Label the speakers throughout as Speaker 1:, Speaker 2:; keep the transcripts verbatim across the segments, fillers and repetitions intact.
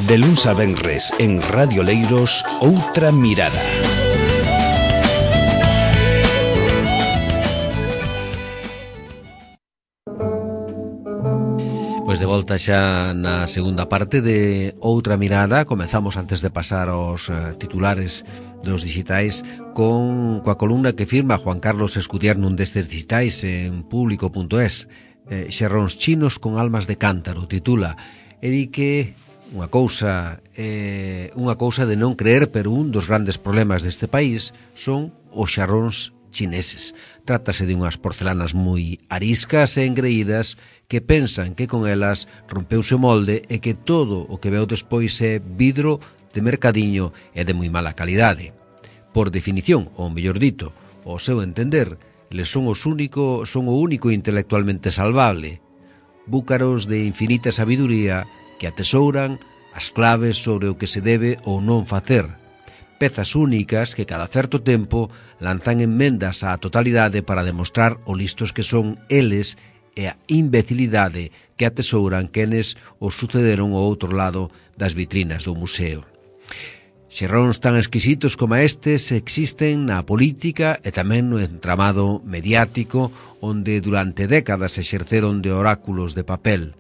Speaker 1: De luns a venres en Radio Leiros, Outra Mirada.
Speaker 2: Pois de volta xa na segunda parte de Outra Mirada. Comezamos antes de pasar aos uh, titulares dos digitais con coa columna que firma Juan Carlos Escudier nun destes digitais en público punto es. eh, Xerróns chinos con almas de cántaro, titula, e di que unha cousa eh, unha cousa de non creer, pero un dos grandes problemas deste país son os xarróns chineses. Trátase de unhas porcelanas moi ariscas e engreídas que pensan que con elas rompeuse o molde e que todo o que veo despois é vidro de mercadiño e de moi mala calidade. Por definición, ou mellor dito, ao seu entender, eles son os único, son o único intelectualmente salvable, búcaros de infinita sabiduría que atesouran as claves sobre o que se debe ou non facer, pezas únicas que cada certo tempo lanzan enmendas á totalidade para demostrar o listos que son eles e a imbecilidade que atesouran quenes os sucederon ao outro lado das vitrinas do museo. Xerróns tan exquisitos como estes existen na política e tamén no entramado mediático, onde durante décadas exerceron de oráculos de papel.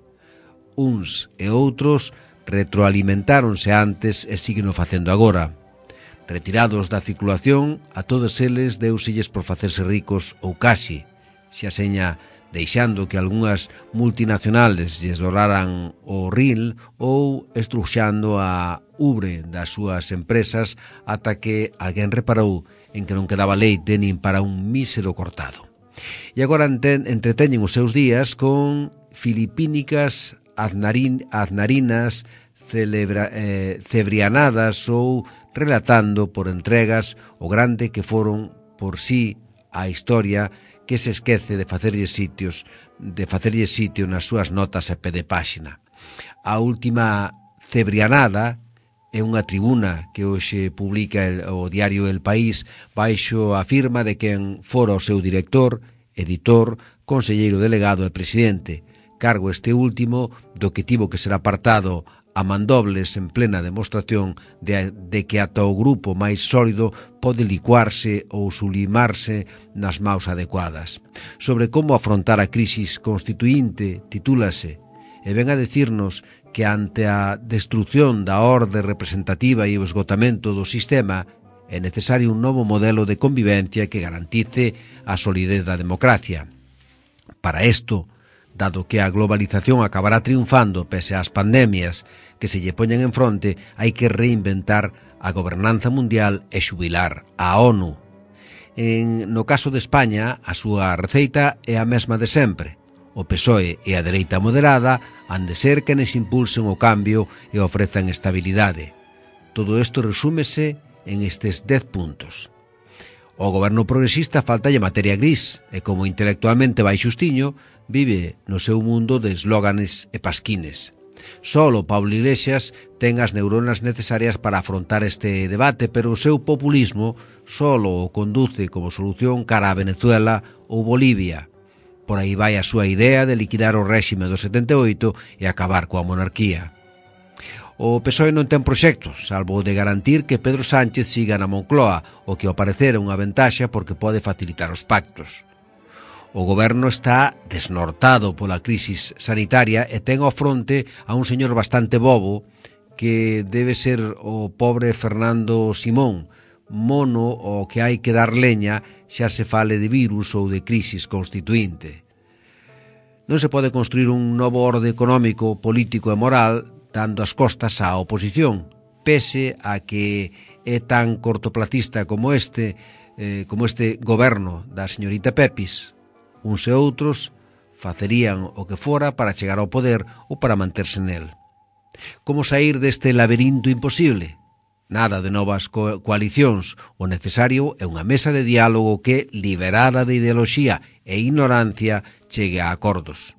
Speaker 2: Uns e outros retroalimentáronse antes e siguen facendo agora. Retirados da circulación, a todos eles deuselles por facerse ricos ou casi, xa seña deixando que algunhas multinacionales lles doraran o ril ou estruxando a ubre das súas empresas ata que alguén reparou en que non quedaba leite nin para un mísero cortado. E agora entreteñen os seus días con filipínicas aznarin, aznarinas celebra, eh, cebrianadas ou relatando por entregas o grande que foron por sí a historia que se esquece de facerlle sitios, de facerlle sitio nas súas notas a pé de páxina. A última cebrianada é unha tribuna que hoxe publica el, o diario El País baixo a firma de quen fora o seu director, editor, conselleiro delegado e presidente, cargo este último do que tivo que ser apartado a mandobles en plena demostración de, de que ata o grupo máis sólido pode licuarse ou sublimarse nas maus adecuadas. Sobre como afrontar a crisis constituinte, titúlase, e ven a decirnos que ante a destrucción da orde representativa e o esgotamento do sistema é necesario un novo modelo de convivencia que garantice a solidez da democracia. Para isto, dado que a globalización acabará triunfando pese ás pandemias que se lle poñen en fronte, hai que reinventar a gobernanza mundial e xubilar a ONU. En, no caso de España, a súa receita é a mesma de sempre. O P S O E e a dereita moderada han de ser quenes impulsen o cambio e ofrezan estabilidade. Todo isto resúmese en estes dez puntos. O goberno progresista faltalle materia gris e, como intelectualmente vai xustiño, vive no seu mundo de eslóganes e pasquines. Solo Pablo Iglesias ten as neuronas necesarias para afrontar este debate, pero o seu populismo solo o conduce como solución cara a Venezuela ou Bolivia. Por aí vai a súa idea de liquidar o réxime do setenta e oito e acabar coa monarquía. O P S O E non ten proxectos, salvo o de garantir que Pedro Sánchez siga na Moncloa, o que ao parecer é unha ventaxa porque pode facilitar os pactos. O goberno está desnortado pola crisis sanitaria e ten ao fronte a un señor bastante bobo que debe ser o pobre Fernando Simón, mono o que hai que dar leña xa se fale de virus ou de crisis constituinte. Non se pode construir un novo orde económico, político e moral dando as costas á oposición, pese a que é tan cortoplacista como este, eh, como este goberno da señorita Pepis. Uns e outros facerían o que fora para chegar ao poder ou para manterse nel. Como sair deste laberinto imposible? Nada de novas co- coalicións. O necesario é unha mesa de diálogo que, liberada de ideoloxía e ignorancia, chegue a acordos.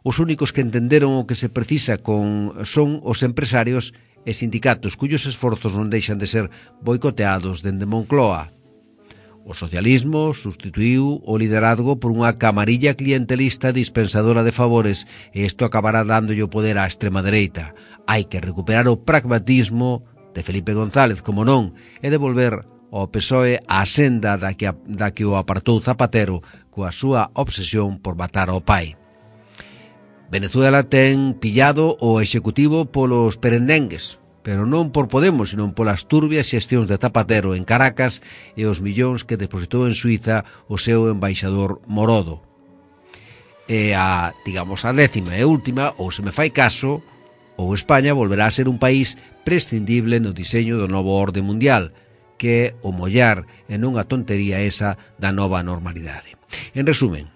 Speaker 2: Os únicos que entenderon o que se precisa con son os empresarios e sindicatos cuyos esforzos non deixan de ser boicoteados dende Moncloa. O socialismo substituiu o liderazgo por unha camarilla clientelista dispensadora de favores e isto acabará dándolle o poder á extrema dereita. Hai que recuperar o pragmatismo de Felipe González, como non, e devolver ao P S O E a senda da que, da que o apartou Zapatero coa súa obsesión por matar ao pai. Venezuela ten pillado o executivo polos perendengues, pero non por Podemos, sino polas turbias xestións de Zapatero en Caracas e os millóns que depositou en Suiza o seu embaixador Morodo. E a, digamos, a décima e última, ou se me fai caso, ou España volverá a ser un país prescindible no diseño do novo orde mundial, que é o mollar e non a tontería esa da nova normalidade. En resumen,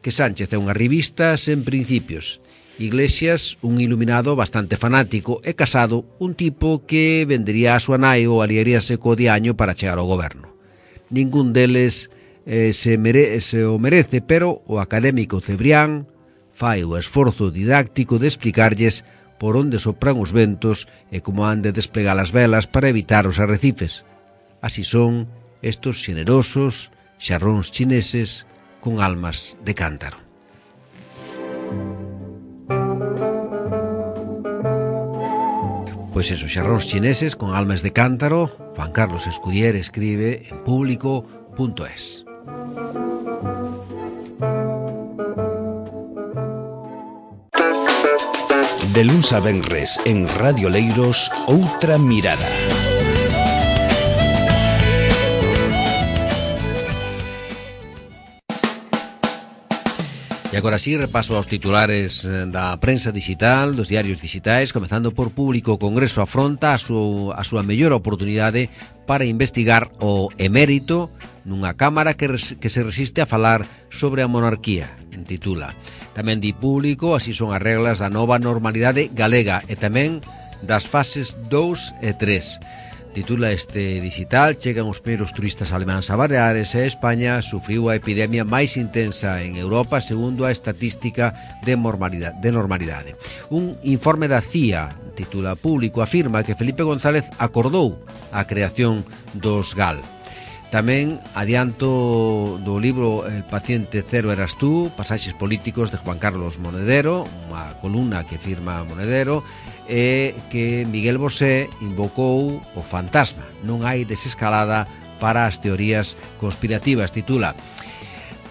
Speaker 2: que Sánchez é unha revista sen principios, Iglesias, un iluminado bastante fanático, e Casado, un tipo que vendería a súa nai ou aliaríase co diaño para chegar ao goberno. Ningún deles eh, se, mere se o merece, pero o académico Cebrián fai o esforzo didáctico de explicarlles por onde sopran os ventos e como han de desplegar as velas para evitar os arrecifes. Así son estos xenerosos xarróns chineses con almas de cántaro. Pois esos xarróns chineses con almas de cántaro, Juan Carlos Escudier escribe en público punto es.
Speaker 1: De luns a venres en Radio Leiros, Outra Mirada.
Speaker 2: E agora sí, repaso aos titulares da prensa digital, dos diarios digitais, comezando por Público. O Congreso afronta a, su, a súa mellor oportunidade para investigar o emérito nunha cámara que, res, que se resiste a falar sobre a monarquía, titula. Tamén di Público, así son as reglas da nova normalidade galega e tamén das fases dous e tres. Titula este digital: chegan os primeiros turistas alemáns a Baleares e España sufriu a epidemia máis intensa en Europa segundo a estatística de normalidade. De normalidade. Un informe da C I A, titula Público, afirma que Felipe González acordou a creación dos G A L. Tamén adianto do libro El paciente cero eras tú, pasaxes políticos de Juan Carlos Monedero, unha columna que firma Monedero, e que Miguel Bosé invocou o fantasma. Non hai desescalada para as teorías conspirativas, titula.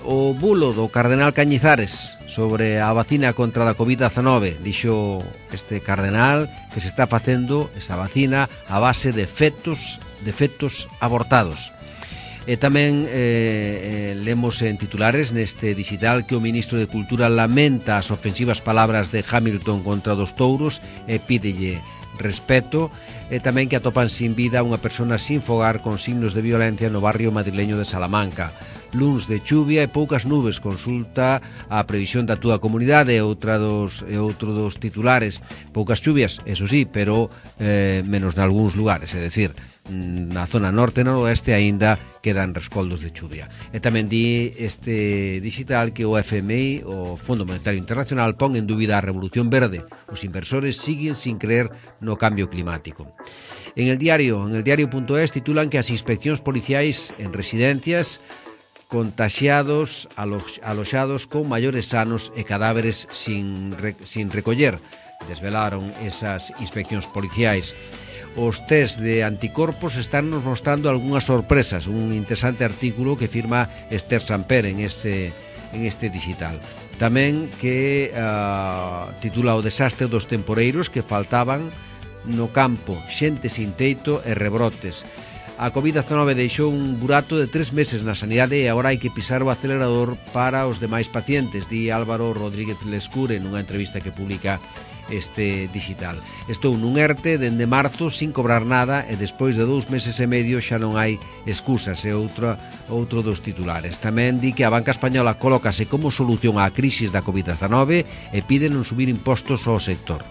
Speaker 2: O bulo do cardenal Cañizares sobre a vacina contra a covid diecinueve, dixo este cardenal que se está facendo esa vacina a base de fetos, de fetos abortados. E tamén eh, eh, lemos en titulares neste digital que o ministro de Cultura lamenta as ofensivas palabras de Hamilton contra dos touros e pídelle respeto, e tamén que atopan sin vida unha persona sin fogar con signos de violencia no barrio madrileño de Salamanca. Luns de chuvia e poucas nubes, consulta a previsión da túa comunidade, e outra dos, e outro dos titulares. Poucas chuvias, eso sí, pero eh, menos nalgúns lugares, é dicir, na zona norte e noroeste aínda quedan rescoldos de chuvia. E tamén di este digital que o F M I, o Fondo Monetario Internacional, pon en dúbida a revolución verde. Os inversores siguen sin creer no cambio climático. En el diario, en el diario punto es, titulan que as inspeccións policiais en residencias contaxiados, alo, aloxados con maiores sanos e cadáveres sin, re, sin recoller. Desvelaron esas inspeccións policiais. Os test de anticorpos están nos mostrando algunhas sorpresas. Un interesante artículo que firma Esther Samper en este, en este digital. Tamén que uh, titula o desastre dos temporeiros que faltaban no campo, xente sin teito e rebrotes. A covid diecinueve deixou un burato de tres meses na sanidade e agora hai que pisar o acelerador para os demais pacientes, di Álvaro Rodríguez Lescure nunha entrevista que publica este digital. Estou nun ERTE dende marzo sin cobrar nada e despois de dous meses e medio xa non hai excusas, é outro, outro dos titulares. Tamén di que a banca española colócase como solución á crisis da covid diecinueve e pide non subir impostos ao sector.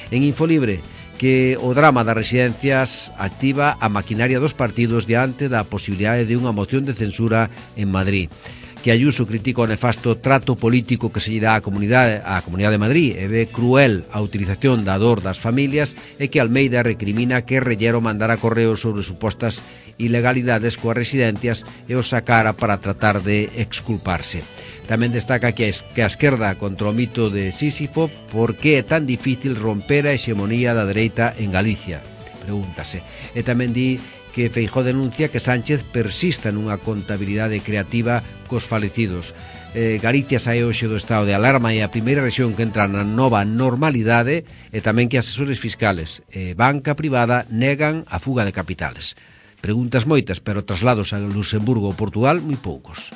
Speaker 2: En Infolibre, que o drama das residencias activa a maquinaria dos partidos diante da posibilidade de unha moción de censura en Madrid. que Ayuso critica o nefasto trato político que se lle dá á comunidade, á Comunidade de Madrid e ve cruel a utilización da dor das familias, e que Almeida recrimina que Rellero mandara correos sobre supostas ilegalidades coas residencias e os sacara para tratar de exculparse. Tamén destaca que a esquerda contra o mito de Sísifo, por que é tan difícil romper a hexemonía da dereita en Galicia, pregúntase. E tamén di que Feijóo denuncia que Sánchez persista nunha contabilidade creativa cos falecidos. Eh, Galicia sae hoxe do estado de alarma e a primeira rexión que entra na nova normalidade, e tamén que asesores fiscales e banca privada negan a fuga de capitales. Preguntas moitas, pero traslados a Luxemburgo ou Portugal, moi poucos.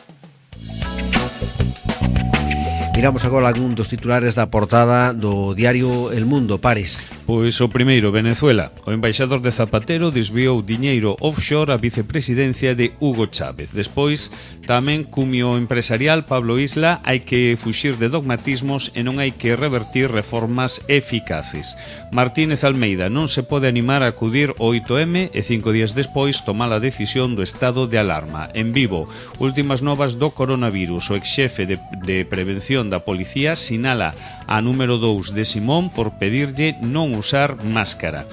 Speaker 2: Miramos agora algún dos titulares da portada do diario El Mundo. Pares.
Speaker 3: Pois o primeiro, Venezuela. O embaixador de Zapatero desviou diñeiro offshore a vicepresidencia de Hugo Chávez. Despois, tamén cumio empresarial Pablo Isla, hai que fuxir de dogmatismos e non hai que revertir reformas eficaces. Martínez Almeida non se pode animar a acudir ao oito eme e cinco días despois tomar a decisión do estado de alarma. En Vivo, últimas novas do coronavirus. O exxefe de, de prevención da policía sinala a número dous de Simón por pedirlle non usar máscara.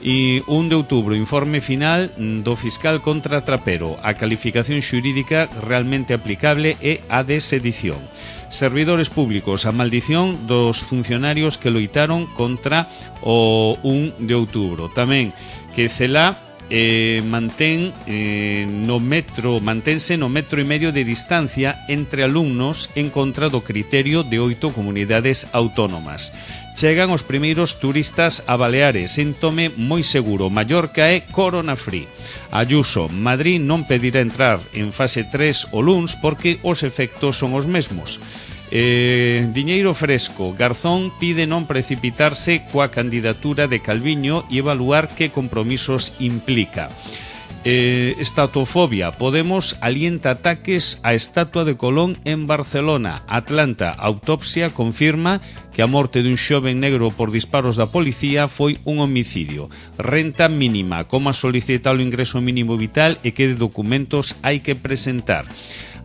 Speaker 3: E un de outubro, informe final do fiscal contra Trapero. A calificación xurídica realmente aplicable é a de sedición. Servidores públicos, a maldición dos funcionarios que loitaron contra o un de outubro. Tamén que Celá Eh, mantén eh, no metro mantense no metro e medio de distancia entre alumnos en contra do criterio de oito comunidades autónomas. Chegan os primeiros turistas a Baleares, síntome moi seguro. Mallorca é corona free. Ayuso, Madrid non pedirá entrar en fase tres o luns porque os efectos son os mesmos. Eh, diñeiro fresco. Garzón pide non precipitarse coa candidatura de Calviño e evaluar que compromisos implica. Eh, estatofobia. Podemos alienta ataques á estatua de Colón en Barcelona. Atlanta. Autopsia confirma que a morte dun xoven negro por disparos da policía foi un homicidio. Renta mínima. Como solicitar o ingreso mínimo vital e que documentos hai que presentar.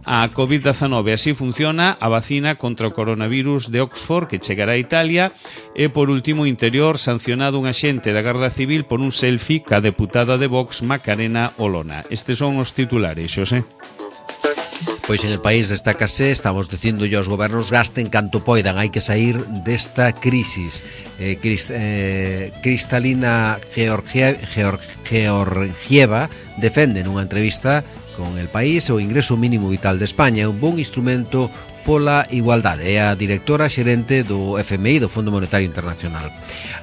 Speaker 3: A covid dezanove, así funciona a vacina contra o coronavirus de Oxford que chegará a Italia. E por último, Interior, sancionado un axente da Garda Civil por un selfie ca deputada de Vox Macarena Olona. Estes son os titulares, Xosé.
Speaker 2: Pois en el país destácase, estamos dicindo aos gobernos gasten canto poidan, hai que sair desta crisis. Eh, Crist, eh, Cristalina Georgie, Georg, Georgieva defende nunha entrevista con El País o ingreso mínimo vital de España é un bon instrumento pola igualdade. É a directora xerente do F M I, do Fondo Monetario Internacional.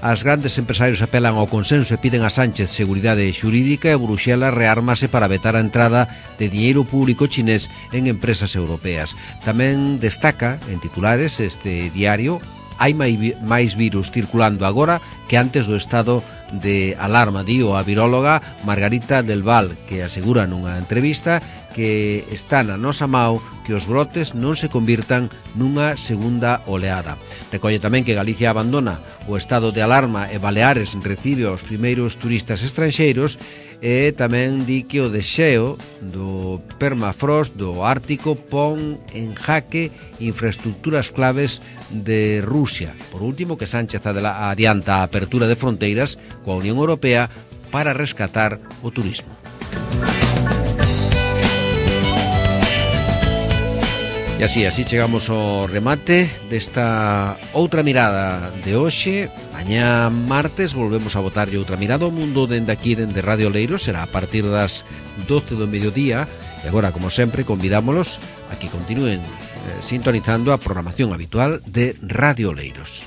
Speaker 2: As grandes empresarios apelan ao consenso e piden a Sánchez seguridade xurídica e Bruxelas reármase para vetar a entrada de diñeiro público chinés en empresas europeas. Tamén destaca en titulares este diario: hai máis virus circulando agora que antes do estado de alarma, dio a viróloga Margarita del Val, que asegura nunha entrevista que está na nosa mao que os brotes non se convirtan nunha segunda oleada. Recolle tamén que Galicia abandona o estado de alarma e Baleares recibe os primeiros turistas estranxeiros, e tamén di que o desxeo do permafrost do Ártico pon en jaque infraestructuras claves de Rusia. Por último, que Sánchez adianta a apertura de fronteiras coa Unión Europea para rescatar o turismo. E así, así chegamos ao remate desta outra mirada de hoxe. Mañá martes volvemos a botarlle outra mirada ao mundo dende aquí, dende Radio Oleiros. Será a partir das doce do mediodía. E agora, como sempre, convidámolos a que continúen eh, sintonizando a programación habitual de Radio Oleiros.